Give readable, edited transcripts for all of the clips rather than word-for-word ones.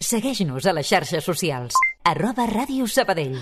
Segueix-nos a les xarxes socials. @radiosabadell.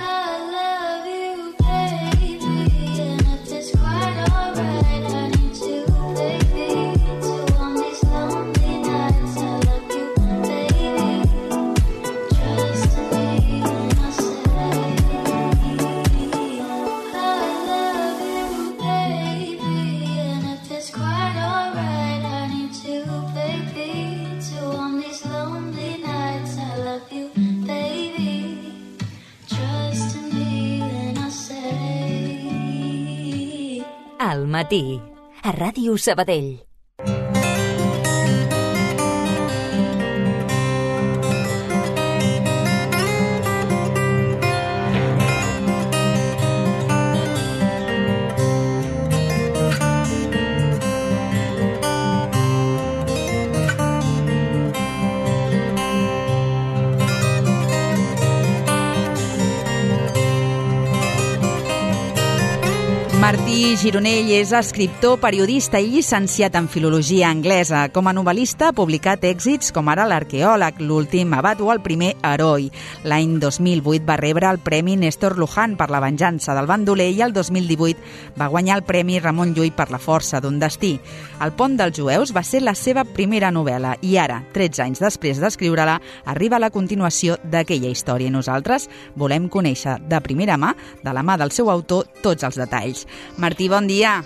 Al matí, a Ràdio Sabadell. Martí Gironell és escriptor, periodista i llicenciat en filologia anglesa. Com a novel·lista ha publicat èxits com ara L'arqueòleg, L'últim abat o El primer heroi. L'any 2008 va rebre el Premi Néstor Luján per La venjança del bandoler i el 2018 va guanyar el Premi Ramon Llull per La força d'un destí. El pont dels jueus va ser la seva primera novel·la i ara, 13 anys després d'escriure-la, arriba la continuació d'aquella història i nosaltres volem conèixer de primera mà, de la mà del seu autor, tots els detalls. Martí, bon dia.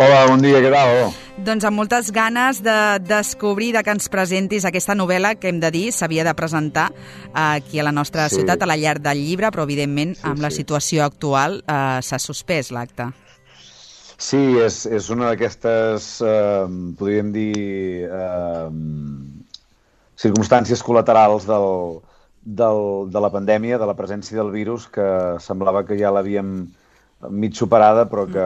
Hola, bon dia, què tal? Doncs amb moltes ganes de descobrir, de que ens presentis aquesta novel·la que hem de dir s'havia de presentar aquí a la nostra ciutat, a la Llar del Llibre, però evidentment amb la situació actual s'ha suspès l'acte. Sí, és una d'aquestes, podríem dir, circumstàncies col·laterals de la pandèmia, de la presència del virus, que semblava que ja l'havíem mig superada, però que,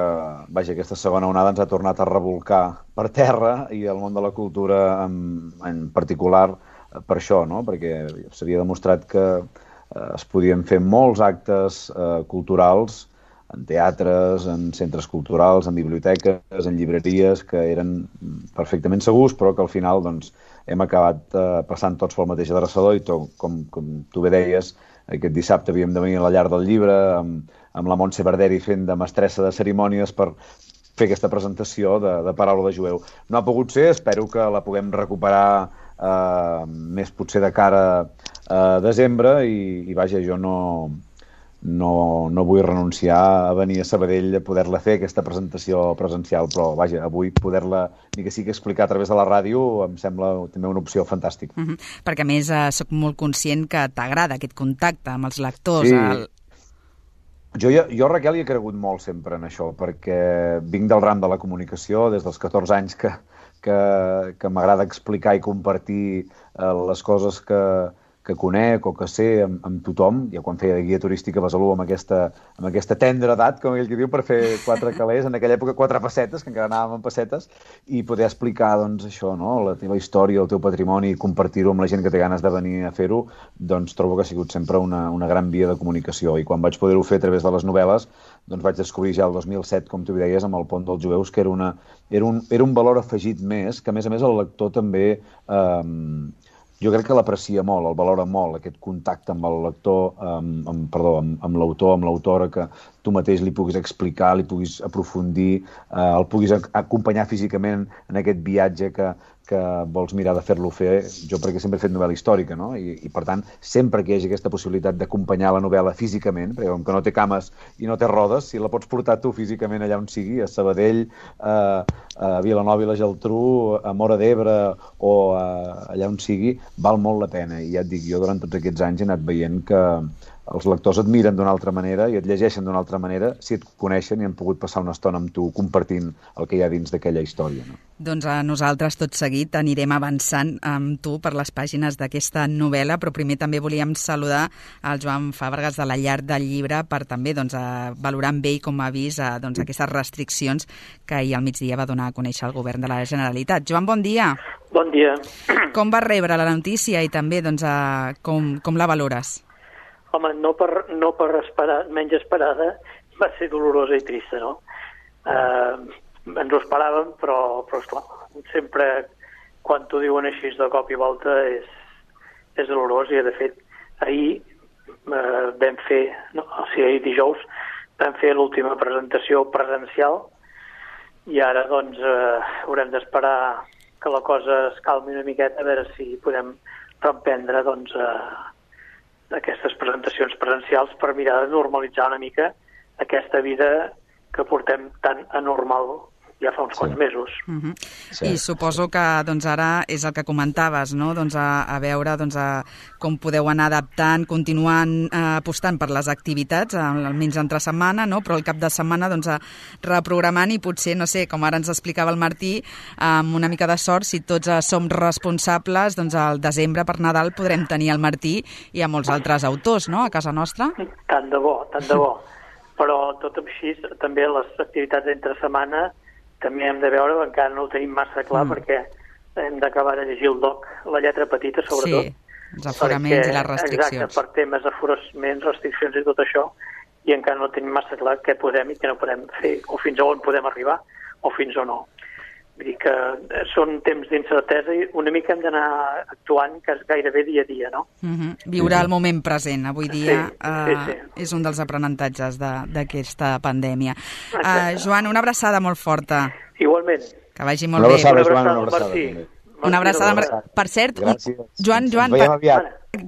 vaja, aquesta segona onada ens ha tornat a revolcar per terra i el món de la cultura en particular per això, no? Perquè s'havia demostrat que es podien fer molts actes culturals en teatres, en centres culturals, en biblioteques, en llibreries, que eren perfectament segurs, però que al final doncs, hem acabat passant tots pel mateix adreçador i com tu bé deies, aquest dissabte havíem de venir a la Llar del Llibre amb la Montse Barderi fent de mestressa de cerimònies per fer aquesta presentació de Paraula de jueu. No ha pogut ser, espero que la puguem recuperar més potser de cara a desembre i vaja, jo no vull renunciar a venir a Sabadell a poder-la fer, aquesta presentació presencial, però vaja, avui poder-la, ni que sigui explicar a través de la ràdio, em sembla també una opció fantàstica. Perquè a més sóc molt conscient que t'agrada aquest contacte amb els lectors. Sí. Jo, Raquel, hi he cregut molt sempre en això, perquè vinc del ram de la comunicació des dels 14 anys que m'agrada explicar i compartir les coses que conec o que sé amb tothom. Ja quan feia de guia turística a Besalú amb aquesta tendra edat, com ell que diu, per fer 4 calés, en aquella època 4 pessetes, que encara anàvem en pessetes, i poder explicar doncs, això, no? La teva història, el teu patrimoni, i compartir-ho amb la gent que té ganes de venir a fer-ho, doncs trobo que ha sigut sempre una gran via de comunicació. I quan vaig poder-ho fer a través de les novel·les, doncs vaig descobrir ja el 2007, com tu deies, amb el Pont dels Jueus, que era un valor afegit més, que a més el lector també... jo crec que l'aprecia molt, el valora molt, aquest contacte amb el lector, amb l'autor, amb l'autora, que tu mateix li puguis explicar, li puguis aprofundir, el puguis acompanyar físicament en aquest viatge que vols mirar de fer-lo fer, jo perquè sempre he fet novel·la històrica, no? I per tant, sempre que hi hagi aquesta possibilitat d'acompanyar la novel·la físicament, perquè com que no té cames i no té rodes, si la pots portar tu físicament allà on sigui, a Sabadell, a Vilanova i la Geltrú, a Móra d'Ebre o allà on sigui, val molt la pena. I ja et dic, jo durant tots aquests anys he anat veient que els lectors et miren d'una altra manera i et llegeixen d'una altra manera si et coneixen i han pogut passar una estona amb tu compartint el que hi ha dins d'aquella història, no? Doncs a nosaltres tot seguit anirem avançant amb tu per les pàgines d'aquesta novel·la, però primer també volíem saludar el Joan Fàbregas de la Llar del Llibre per també valorar amb ell com ha vist aquestes restriccions que ahir al migdia va donar a conèixer el govern de la Generalitat. Joan, bon dia. Bon dia. Com vas rebre la notícia i també com la valores? Home, no per menys esperada, va ser dolorosa i trista, no? Ens ho esperàvem, però esclar, sempre quan t'ho diuen així de cop i volta és és dolorós, i de fet ahir vam fer, ahir dijous vam fer l'última presentació presencial, i ara doncs haurem d'esperar que la cosa es calmi una miqueta, a veure si podem reprendre doncs aquestes presentacions presencials per mirar de normalitzar una mica aquesta vida que portem tan anormal ja fa uns quants mesos. I suposo que doncs, ara és el que comentaves, no? Doncs, a veure com podeu anar adaptant, continuant apostant per les activitats, almenys entre setmana, no? Però el cap de setmana doncs, reprogramant, i potser, no sé, com ara ens explicava el Martí, amb una mica de sort, si tots som responsables, doncs al desembre per Nadal podrem tenir el Martí i a molts altres autors, no?, a casa nostra. Tant de bo, tant de bo. Però tot així, també les activitats d'entre setmana també hem de veure, encara no ho tenim massa clar, perquè hem d'acabar de llegir el doc, la lletra petita, sobretot. Sí, els aforaments i les restriccions. Exacte, per temes d'aforaments, restriccions i tot això, i encara no tenim massa clar què podem i què no podem fer, o fins a on podem arribar, o fins o no. Vull dir que són temps d'incertesa i una mica hem d'anar actuant gairebé dia a dia, no? Viure el moment present, avui dia, és un dels aprenentatges d'aquesta pandèmia. Joan, una abraçada molt forta. Igualment. Que vagi molt bé. Una abraçada, una abraçada. Per cert, Joan,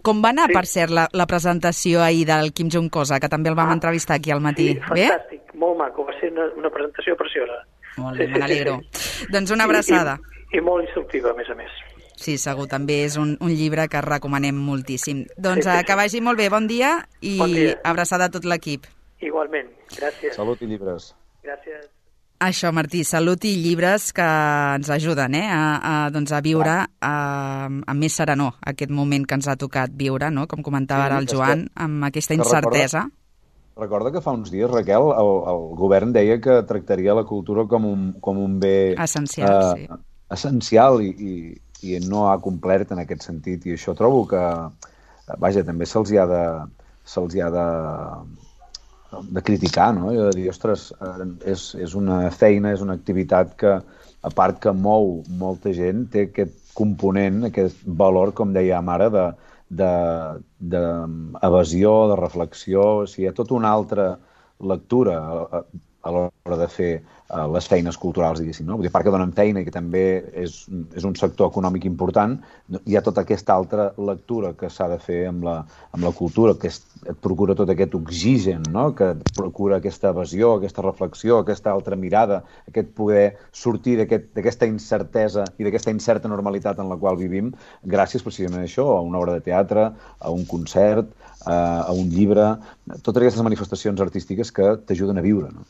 com va anar, per cert, la presentació ahir del Kim Jong-cosa, que també el vam entrevistar aquí al matí? Sí, fantàstic, molt maco, va ser una presentació preciosa. Molt bé, me n'alegro. Doncs una abraçada. I molt instructiva, a més a més. Sí, segur, també és un llibre que recomanem moltíssim. Doncs que vagi molt bé, bon dia, i abraçada a tot l'equip. Igualment, gràcies. Salut i llibres. Gràcies. Això, Martí, salut i llibres que ens ajuden a viure amb més serenor aquest moment que ens ha tocat viure, no? Com comentava ara el Joan, amb aquesta incertesa. Recorda que fa uns dies, Raquel, el govern deia que tractaria la cultura com un bé essencial, essencial i no ha complert en aquest sentit. I això trobo que, vaja, també se'ls ha de criticar, no? I de dir, ostres, és una feina, és una activitat que, a part que mou molta gent, té aquest component, aquest valor, com dèiem ara, d'evasió, de reflexió. O sigui, hi ha tota una altra lectura a l'hora de fer les feines culturals, diguéssim, no? Vull dir, a part que donen feina i que també és un sector econòmic important, hi ha tota aquesta altra lectura que s'ha de fer amb la cultura, que et procura tot aquest oxigen, no? Que et procura aquesta evasió, aquesta reflexió, aquesta altra mirada, aquest poder sortir d'aquesta incertesa i d'aquesta incerta normalitat en la qual vivim, gràcies precisament a això, a una obra de teatre, a un concert, a un llibre, totes aquestes manifestacions artístiques que t'ajuden a viure, no?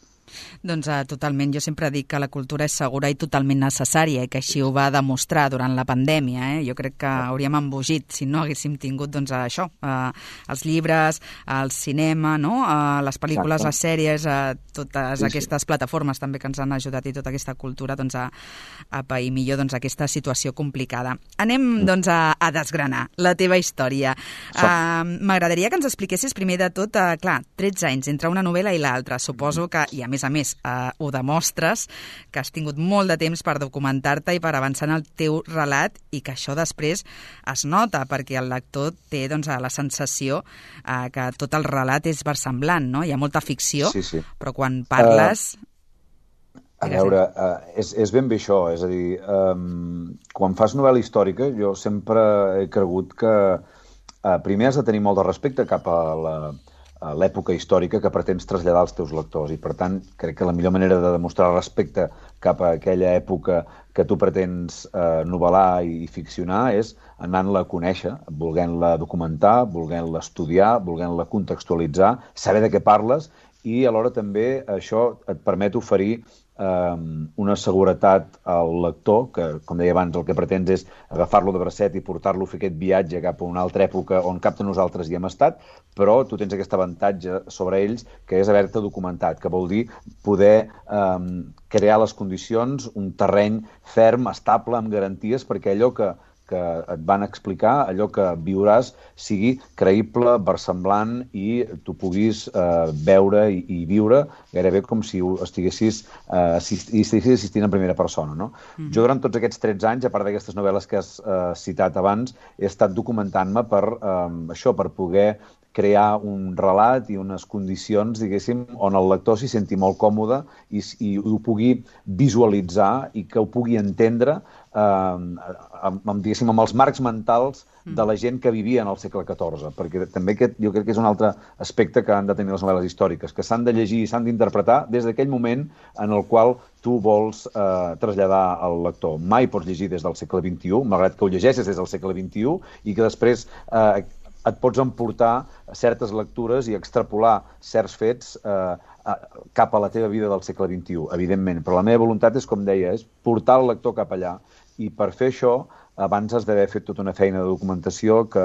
Doncs totalment. Jo sempre dic que la cultura és segura i totalment necessària i que així ho va demostrar durant la pandèmia. Jo crec que hauríem embogit si no haguéssim tingut doncs, això, els llibres, el cinema, no? Les pel·lícules, les sèries, totes aquestes plataformes també que ens han ajudat i tota aquesta cultura doncs, a pair millor doncs, aquesta situació complicada. Anem doncs, a desgranar la teva història. M'agradaria que ens expliquessis primer de tot, clar, 13 anys entre una novel·la i l'altra. Suposo que, i a més, ho demostres, que has tingut molt de temps per documentar-te i per avançar en el teu relat i que això després es nota perquè el lector té doncs, la sensació que tot el relat és versemblant, no? Hi ha molta ficció, però quan parles... A veure, és ben bé això, és a dir, quan fas novel·la històrica jo sempre he cregut que primer has de tenir molt de respecte cap a l'època històrica que pretens traslladar als teus lectors i, per tant, crec que la millor manera de demostrar respecte cap a aquella època que tu pretens novel·lar i ficcionar és anant-la a conèixer, volent-la documentar, volent-la estudiar, volent-la contextualitzar, saber de què parles i alhora també això et permet oferir una seguretat al lector, que, com deia abans, el que pretens és agafar-lo de bracet i portar-lo a fer aquest viatge cap a una altra època on cap de nosaltres hi hem estat, però tu tens aquest avantatge sobre ells, que és haver-te documentat, que vol dir poder crear les condicions, un terreny ferm, estable, amb garanties, perquè allò que que et van explicar allò que viuràs sigui creïble, versemblant i tu puguis veure i viure gairebé com si estiguessis assistint en primera persona, no? Jo durant tots aquests 13 anys, a part d'aquestes novel·les que has citat abans, he estat documentant-me per poder crear un relat i unes condicions, diguéssim, on el lector s'hi senti molt còmode i ho pugui visualitzar i que ho pugui entendre diguéssim, amb els marcs mentals de la gent que vivia en el segle XIV, perquè també aquest jo crec que és un altre aspecte que han de tenir les novel·les històriques, que s'han de llegir i s'han d'interpretar des d'aquell moment en el qual tu vols traslladar al lector. Mai pots llegir des del segle XXI, malgrat que ho llegeixes des del segle XXI, i que després et pots emportar certes lectures i extrapolar certs fets cap a la teva vida del segle XXI, evidentment. Però la meva voluntat és, com deia, és portar el lector cap allà. I per fer això, abans has d'haver fet tota una feina de documentació que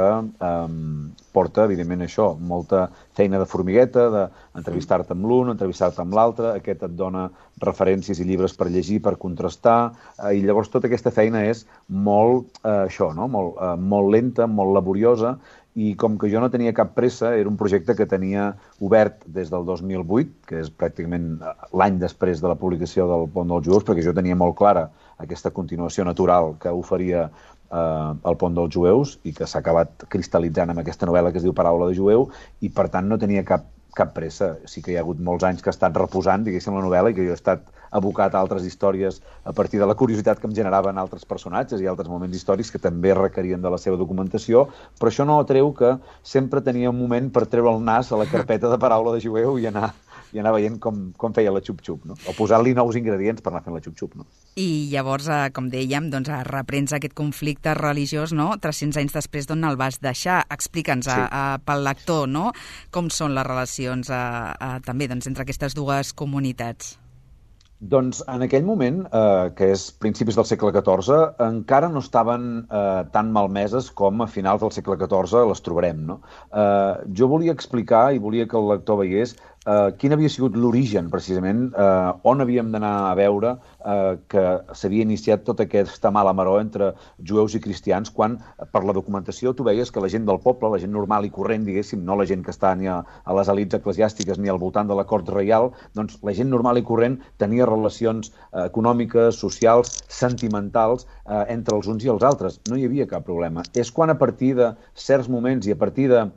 porta, evidentment, això, molta feina de formigueta, d'entrevistar-te amb l'un, entrevistar-te amb l'altre, aquest et dona referències i llibres per llegir, per contrastar, i llavors tota aquesta feina és molt, molt lenta, molt laboriosa, i com que jo no tenia cap pressa, era un projecte que tenia obert des del 2008, que és pràcticament l'any després de la publicació del Pont dels Jueus, perquè jo tenia molt clara aquesta continuació natural que oferia el Pont dels Jueus i que s'ha acabat cristal·litzant amb aquesta novel·la que es diu Paraula de Jueu, i per tant no tenia cap pressa. Sí que hi ha hagut molts anys que he estat reposant, diguéssim, la novel·la, i que jo he estat abocat a altres històries a partir de la curiositat que em generaven altres personatges i altres moments històrics que també requerien de la seva documentació, però això no treu que sempre tenia un moment per treure el nas a la carpeta de Paraula de Jueu i anar veient com feia la xup-xup, no? O posar-li nous ingredients per anar fent la xup-xup, no? I llavors, com dèiem, doncs reprens aquest conflicte religiós, no? 300 anys després d'on el vas deixar. Explica'ns pel lector, no? Com són les relacions també entre aquestes dues comunitats. Doncs en aquell moment, que és principis del segle XIV, encara no estaven tan malmeses com a finals del segle XIV les trobarem, no? Jo volia explicar i volia que el lector veiés quin havia sigut l'origen, precisament, on havíem d'anar a veure que s'havia iniciat tota aquesta mala maror entre jueus i cristians, quan per la documentació tu veies que la gent del poble, la gent normal i corrent, diguéssim, no la gent que està ni a les elits eclesiàstiques ni al voltant de la cort reial, doncs la gent normal i corrent tenia relacions econòmiques, socials, sentimentals entre els uns i els altres. No hi havia cap problema. És quan a partir de certs moments i a partir de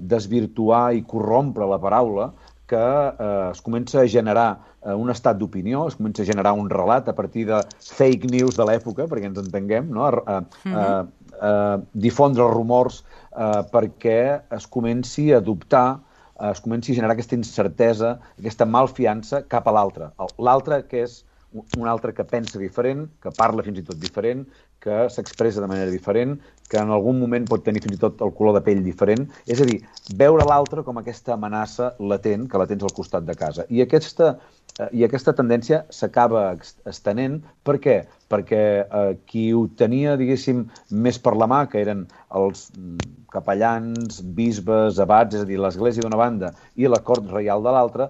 desvirtuar i corrompre la paraula que es comença a generar un estat d'opinió, es comença a generar un relat a partir de fake news de l'època, perquè ens entenguem, no? Difondre rumors perquè es comenci a dubtar, es comenci a generar aquesta incertesa, aquesta malfiança cap a l'altre. L'altre que és un altre que pensa diferent, que parla fins i tot diferent, que s'expressa de manera diferent, que en algun moment pot tenir fins i tot el color de pell diferent. És a dir, veure l'altre com aquesta amenaça latent que la tens al costat de casa. I aquesta tendència s'acaba estenent. Per què? Perquè qui ho tenia, diguéssim, més per la mà, que eren els capellans, bisbes, abats, és a dir, l'església d'una banda i la cort reial de l'altra,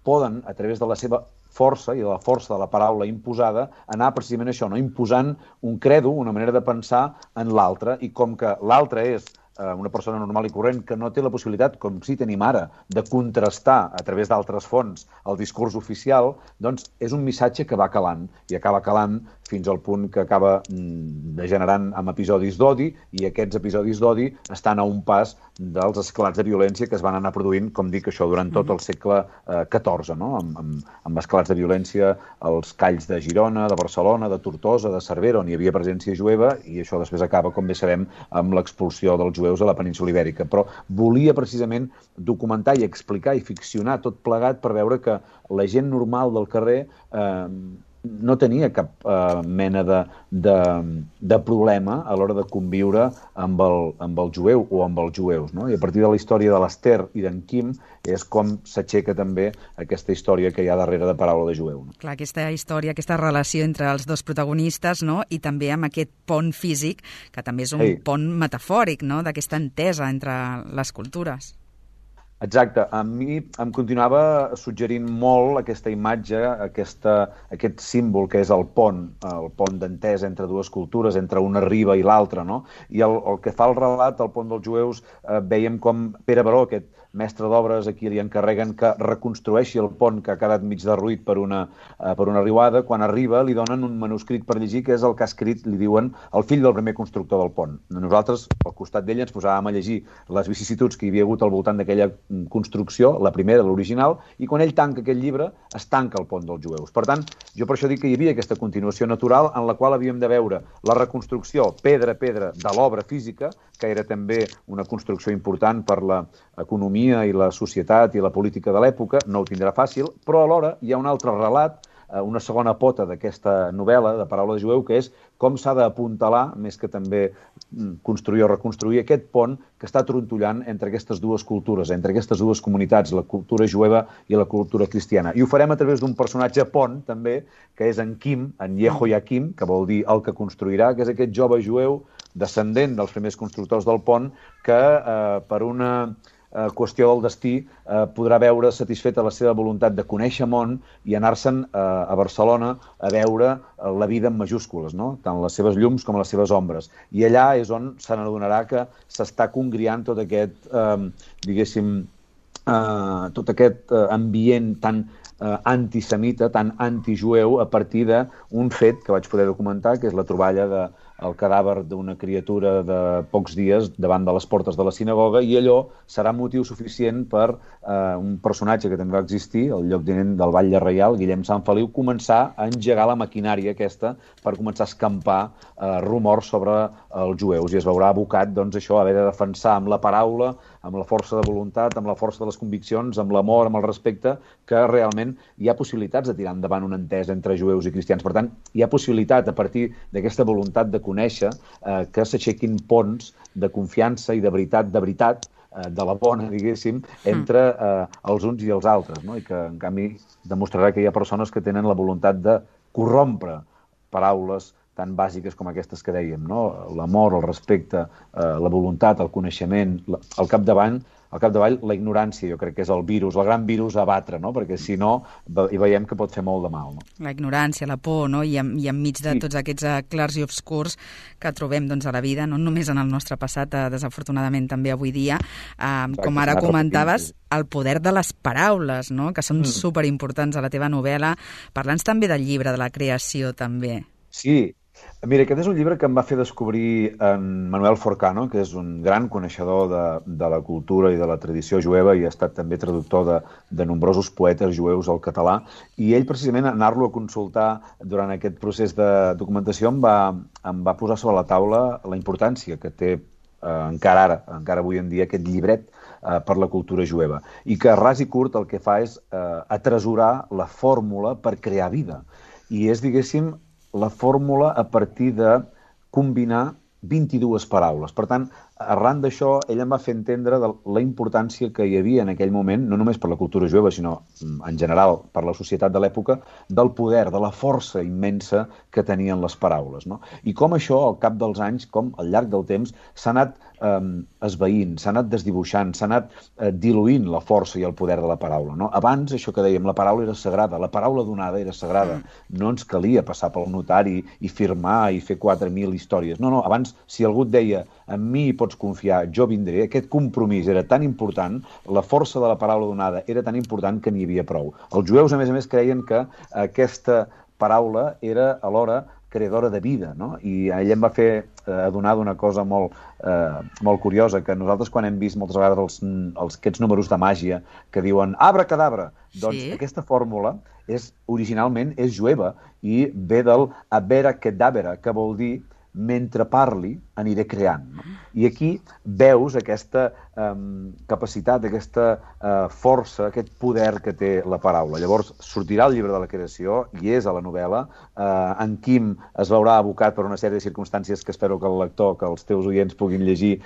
poden, a través de la seva força i de la força de la paraula imposada, anar precisament això, no? Imposant un credo, una manera de pensar en l'altre, i com que l'altre és una persona normal i corrent que no té la possibilitat, com sí tenim ara, de contrastar a través d'altres fonts el discurs oficial, doncs és un missatge que va calant, i acaba calant fins al punt que acaba degenerant en episodis d'odi, i aquests episodis d'odi estan a un pas dels esclats de violència que es van anar produint, com dic, això durant tot el segle XIV, no? Amb esclats de violència als calls de Girona, de Barcelona, de Tortosa, de Cervera, on hi havia presència jueva, i això després acaba, com bé sabem, amb l'expulsió dels jueus a la península Ibèrica. Però volia precisament documentar i explicar i ficcionar tot plegat per veure que la gent normal del carrer no tenia cap mena de problema a l'hora de conviure amb el jueu o amb els jueus, no? I a partir de la història de l'Ester i d'en Quim és com s'aixeca també aquesta història que hi ha darrere de Paraula de Jueu, no? Clar, aquesta història, aquesta relació entre els dos protagonistes, no? I també amb aquest pont físic, que també és un pont metafòric, no? D'aquesta entesa entre les cultures. Exacte. A mi em continuava suggerint molt aquesta imatge, aquest símbol que és el pont d'entesa entre dues cultures, entre una riba i l'altra, no? I el que fa el relat, el pont dels jueus, veiem com Pere Baró, aquest mestre d'obres, a qui li encarreguen que reconstrueixi el pont que ha quedat mig derruït per una riuada. Quan arriba li donen un manuscrit per llegir, que és el que ha escrit, li diuen, el fill del primer constructor del pont. Nosaltres, al costat d'ell, ens posàvem a llegir les vicissituds que hi havia hagut al voltant d'aquella construcció, la primera, l'original, i quan ell tanca aquest llibre, es tanca el pont dels jueus. Per tant, jo per això dic que hi havia aquesta continuació natural en la qual havíem de veure la reconstrucció pedra a pedra de l'obra física, que era també una construcció important per l'economia i la societat i la política de l'època, no ho tindrà fàcil, però alhora hi ha un altre relat, una segona pota d'aquesta novel·la de Paraula de jueu, que és com s'ha d'apuntalar, més que també construir o reconstruir, aquest pont que està trontollant entre aquestes dues cultures, entre aquestes dues comunitats, la cultura jueva i la cultura cristiana. I ho farem a través d'un personatge pont, també, que és en Quim, en Yehoiakim, que vol dir el que construirà, que és aquest jove jueu descendent dels primers constructors del pont, que per una qüestió del destí podrà veure satisfeta la seva voluntat de conèixer món i anar-se'n a Barcelona a veure la vida en majúscules, no? Tant les seves llums com les seves ombres. I allà és on se n'adonarà que s'està congriant tot aquest, diguéssim, tot aquest ambient tan antisemita, tan antijueu, a partir d'un fet que vaig poder documentar, que és la troballa del cadàver d'una criatura de pocs dies davant de les portes de la sinagoga, i allò serà motiu suficient per un personatge que també va existir, el lloctinent del Batlle Reial, Guillem Sant Feliu, començar a engegar la maquinària aquesta per començar a escampar rumors sobre els jueus, i es veurà abocat, doncs, això, a haver de defensar amb la paraula, amb la força de voluntat, amb la força de les conviccions, amb l'amor, amb el respecte, que realment hi ha possibilitats de tirar endavant una entesa entre jueus i cristians. Per tant, hi ha possibilitat, a partir d'aquesta voluntat de conèixer, que s'aixequin ponts de confiança i de veritat, de la bona, diguéssim, entre els uns i els altres, no? I que, en canvi, demostrarà que hi ha persones que tenen la voluntat de corrompre paraules tan bàsiques com aquestes que dèiem, no? L'amor, el respecte, la voluntat, el coneixement, al capdavall, la ignorància, jo crec que és el virus, el gran virus a batre, no? Perquè si no, hi veiem que pot fer molt de mal, no? La ignorància, la por, no? I enmig de tots aquests clars i obscurs que trobem, doncs, a la vida, no només en el nostre passat, desafortunadament també avui dia, com ara comentaves, el poder de les paraules, no? Que són superimportants a la teva novel·la. Parla'ns també del llibre, de la creació, també. Sí. Mira, aquest és un llibre que em va fer descobrir en Manuel Forcano, que és un gran coneixedor de la cultura i de la tradició jueva i ha estat també traductor de nombrosos poetes jueus al català, i ell precisament anar-lo a consultar durant aquest procés de documentació em va posar sobre la taula la importància que té encara avui en dia aquest llibret per la cultura jueva, i que ras i curt el que fa és atresorar la fórmula per crear vida, i és, diguéssim, la fórmula a partir de combinar 22 paraules. Per tant, arran d'això, ell em va fer entendre de la importància que hi havia en aquell moment, no només per la cultura jueva, sinó en general per la societat de l'època, del poder, de la força immensa que tenien les paraules, no? I com això, al cap dels anys, com al llarg del temps, s'ha anat esvaint, s'ha anat desdibuixant, s'ha anat diluint la força i el poder de la paraula, no? Abans, això que dèiem, la paraula era sagrada, la paraula donada era sagrada. No ens calia passar pel notari i firmar i fer 4.000 històries. No, abans, si algú et deia en mi pots confiar, jo vindré, aquest compromís era tan important, la força de la paraula donada era tan important que n'hi havia prou. Els jueus, a més, creien que aquesta paraula era alhora creadora de vida, no? I ell em va fer adonar d'una cosa molt curiosa, que nosaltres quan hem vist moltes vegades aquests números de màgia que diuen abracadabra, doncs aquesta fórmula originalment és jueva i ve del abracadabra, que vol dir mentre parli aniré creant, no? I aquí veus aquesta capacitat, aquesta força, aquest poder que té la paraula. Llavors sortirà el llibre de la creació, i és a la novel·la. En Quim es veurà abocat per una sèrie de circumstàncies que espero que el lector, que els teus oients puguin llegir,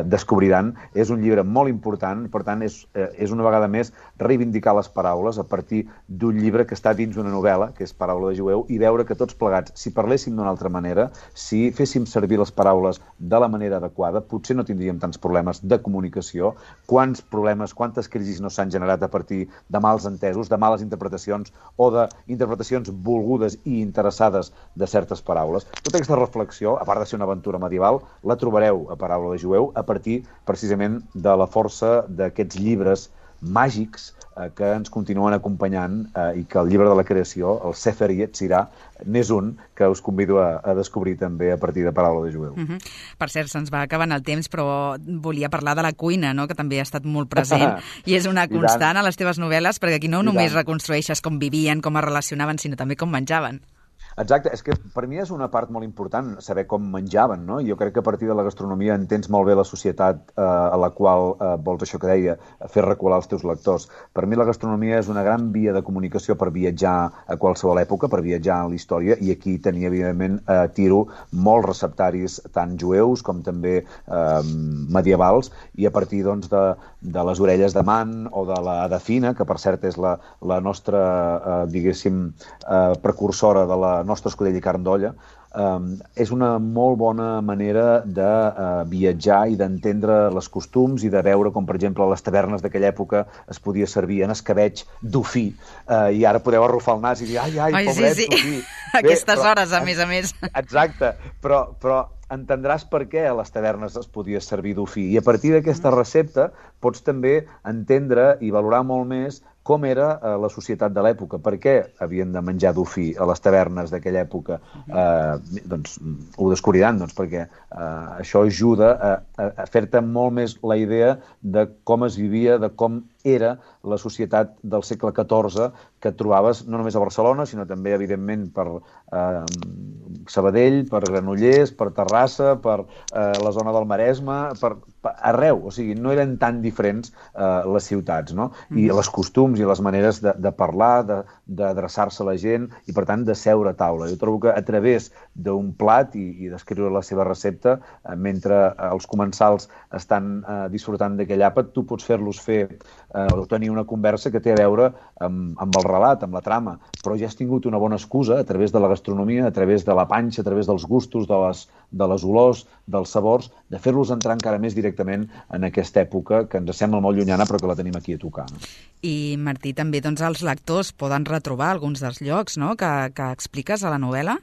descobriran. És un llibre molt important, per tant, és una vegada més reivindicar les paraules a partir d'un llibre que està dins una novel·la, que és Paraula de jueu, i veure que tots plegats, si parléssim d'una altra manera, si féssim servir les paraules de la manera adequada, potser no tindríem tants problemes de comunicació. Quants problemes, quantes crisis no s'han generat a partir de mals entesos, de males interpretacions o d'interpretacions volgudes i interessades de certes paraules. Tota aquesta reflexió, a part de ser una aventura medieval, la trobareu a Paraula de Jueu a partir, precisament, de la força d'aquests llibres màgics que ens continuen acompanyant i que el llibre de la creació, el Sefer Yetzirah, n'és un que us convido a descobrir també a partir de Paraula de Jueu. Per cert, se'ns va acabant el temps, però volia parlar de la cuina, no?, que també ha estat molt present i és una constant a les teves novel·les, perquè aquí no només reconstrueixes com vivien, com es relacionaven, sinó també com menjaven. Exacte, és que per mi és una part molt important saber com menjaven, no? Jo crec que a partir de la gastronomia entens molt bé la societat a la qual vols, això que deia, fer recular els teus lectors. Per mi la gastronomia és una gran via de comunicació per viatjar a qualsevol època, per viatjar en la història, i aquí tenia, evidentment, tiro molts receptaris, tant jueus com també medievals, i a partir, doncs, de les orelles de man o de la Adafina, que per cert és la nostra, diguéssim, precursora de la nostra escudella i carn d'olla, és una molt bona manera de viatjar i d'entendre les costums i de veure com, per exemple, a les tavernes d'aquella època es podia servir en escabeig d'ofí, i ara podeu arrufar el nas i dir ai, pobret, sí. d'ofí. Aquestes hores, a més. Exacte, però entendràs per què a les tavernes es podia servir d'ofí, i a partir d'aquesta recepta pots també entendre i valorar molt més com era la societat de l'època, per què havien de menjar d'ofí a les tavernes d'aquella època. Doncs ho descobriran, perquè això ajuda a fer-te molt més la idea de com es vivia, de com era la societat del segle XIV que et trobaves no només a Barcelona, sinó també, evidentment, per Sabadell, per Granollers, per Terrassa, per la zona del Maresme, per arreu. O sigui, no eren tan diferents les ciutats, no? I les costums i les maneres de parlar, d'adreçar-se a la gent i, per tant, de seure a taula. Jo trobo que a través d'un plat i d'escriure la seva recepta, mentre els comensals estan disfrutant d'aquell àpat, tu pots fer-los fer o tenir una conversa que té a veure amb el relat, amb la trama, però ja has tingut una bona excusa a través de la gastronomia, a través de la panxa, a través dels gustos, de les olors, dels sabors, de fer-los entrar encara més directament en aquesta època que ens sembla molt llunyana però que la tenim aquí a tocar. No? I, Martí, també els lectors poden retrobar alguns dels llocs, no?, que expliques a la novel·la?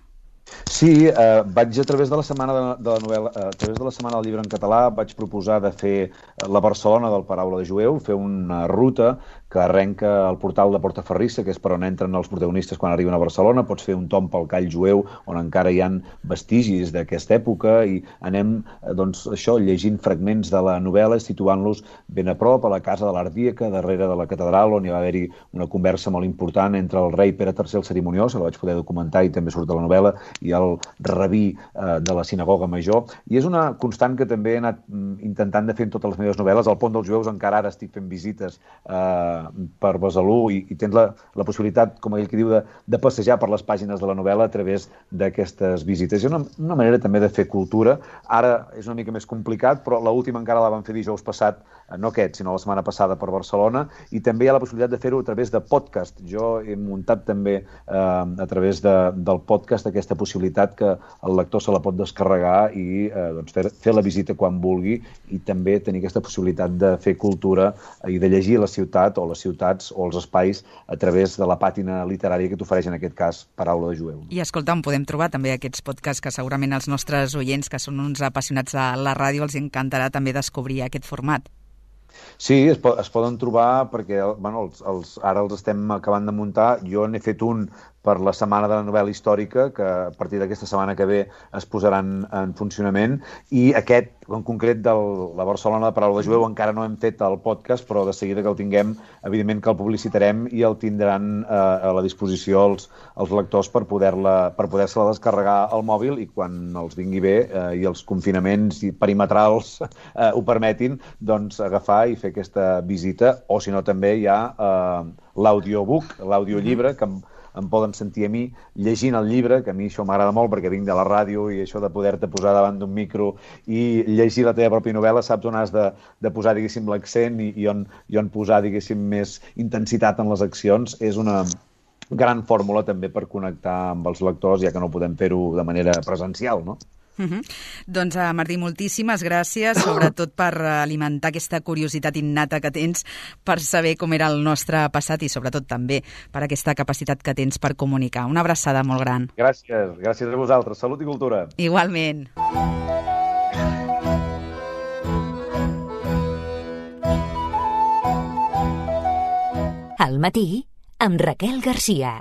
Sí, vaig a través de la setmana de la novel·la, a través de la setmana del llibre en català, vaig proposar de fer la Barcelona del Paraula de Jueu, fer una ruta que arrenca al portal de Portaferrissa, que és per on entren els protagonistes quan arriben a Barcelona. Pots fer un tomb pel Call Jueu, on encara hi ha vestigis d'aquesta època, i anem, doncs, això, llegint fragments de la novel·la, situant-los ben a prop, a la casa de l'Ardíaca, darrere de la catedral, on hi va haver-hi una conversa molt important entre el rei Pere III el Cerimoniós, que la vaig poder documentar i també surt a la novel·la, i el rabí de la sinagoga major. I és una constant que també he anat intentant de fer en totes les meves novel·les. Al Pont dels Jueus encara ara estic fent visites per Besalú i tens la possibilitat, com aquell que diu, de passejar per les pàgines de la novel·la a través d'aquestes visites. És una manera també de fer cultura. Ara és una mica més complicat, però l'última encara la vam fer dijous passat, no aquest, sinó la setmana passada per Barcelona, i també hi ha la possibilitat de fer-ho a través de podcast. Jo he muntat també a través del podcast aquesta possibilitat que el lector se la pot descarregar i fer la visita quan vulgui, i també tenir aquesta possibilitat de fer cultura i de llegir la ciutat o les ciutats o els espais a través de la pàtina literària que t'ofereix en aquest cas Paraula de Jueu. I escolta, on podem trobar també aquests podcasts que segurament els nostres oients, que són uns apassionats de la ràdio, els encantarà també descobrir aquest format? Sí, es poden trobar perquè ara els estem acabant de muntar. Jo n'he fet un per la Setmana de la Novel·la Històrica, que a partir d'aquesta setmana que ve es posaran en funcionament, i aquest, en concret, de la Barcelona de Paraula de Jueu, encara no hem fet el podcast, però de seguida que el tinguem, evidentment que el publicitarem i el tindran a la disposició els lectors per poder-se-la descarregar al mòbil, i quan els vingui bé i els confinaments perimetrals ho permetin, doncs agafar i fer aquesta visita, o si no també hi ha l'audiobook, l'audiollibre, que em poden sentir a mi llegint el llibre, que a mi això m'agrada molt perquè vinc de la ràdio, i això de poder-te posar davant d'un micro i llegir la teva pròpia novel·la, saps on has de posar, diguéssim, l'accent i on posar, diguéssim, més intensitat en les accions. És una gran fórmula també per connectar amb els lectors, ja que no podem fer-ho de manera presencial, no? Doncs, Martí, moltíssimes gràcies, sobretot per alimentar aquesta curiositat innata que tens per saber com era el nostre passat i sobretot també per aquesta capacitat que tens per comunicar. Una abraçada molt gran. Gràcies a vosaltres. Salut i cultura. Igualment. Al matí, amb Raquel Garcia.